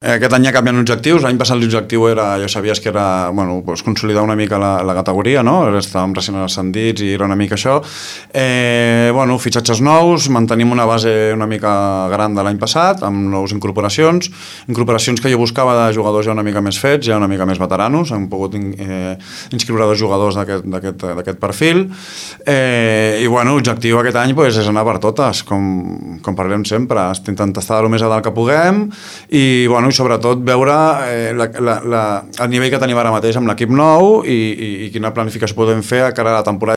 Aquest any ja canvien objectius. L'any passat l'objectiu era, ja sabies que era, bueno, pues consolidar una mica la categoria, no? Estàvem recent ascendits i era una mica això. Bueno, fitxatges nous, mantenim una base una mica gran de l'any passat, amb nous incorporacions que jo buscava de jugadors ja una mica més fets, ja una mica més veteranos. Hem pogut inscriure 2 jugadors d'aquest perfil. I bueno, l'objectiu aquest any és anar per totes, com parlem sempre. Intentar estar el més a dalt que puguem i, bueno, i sobretot veure el nivell que tenim ara mateix amb l'equip nou i quina planificació podem fer a cara a la temporada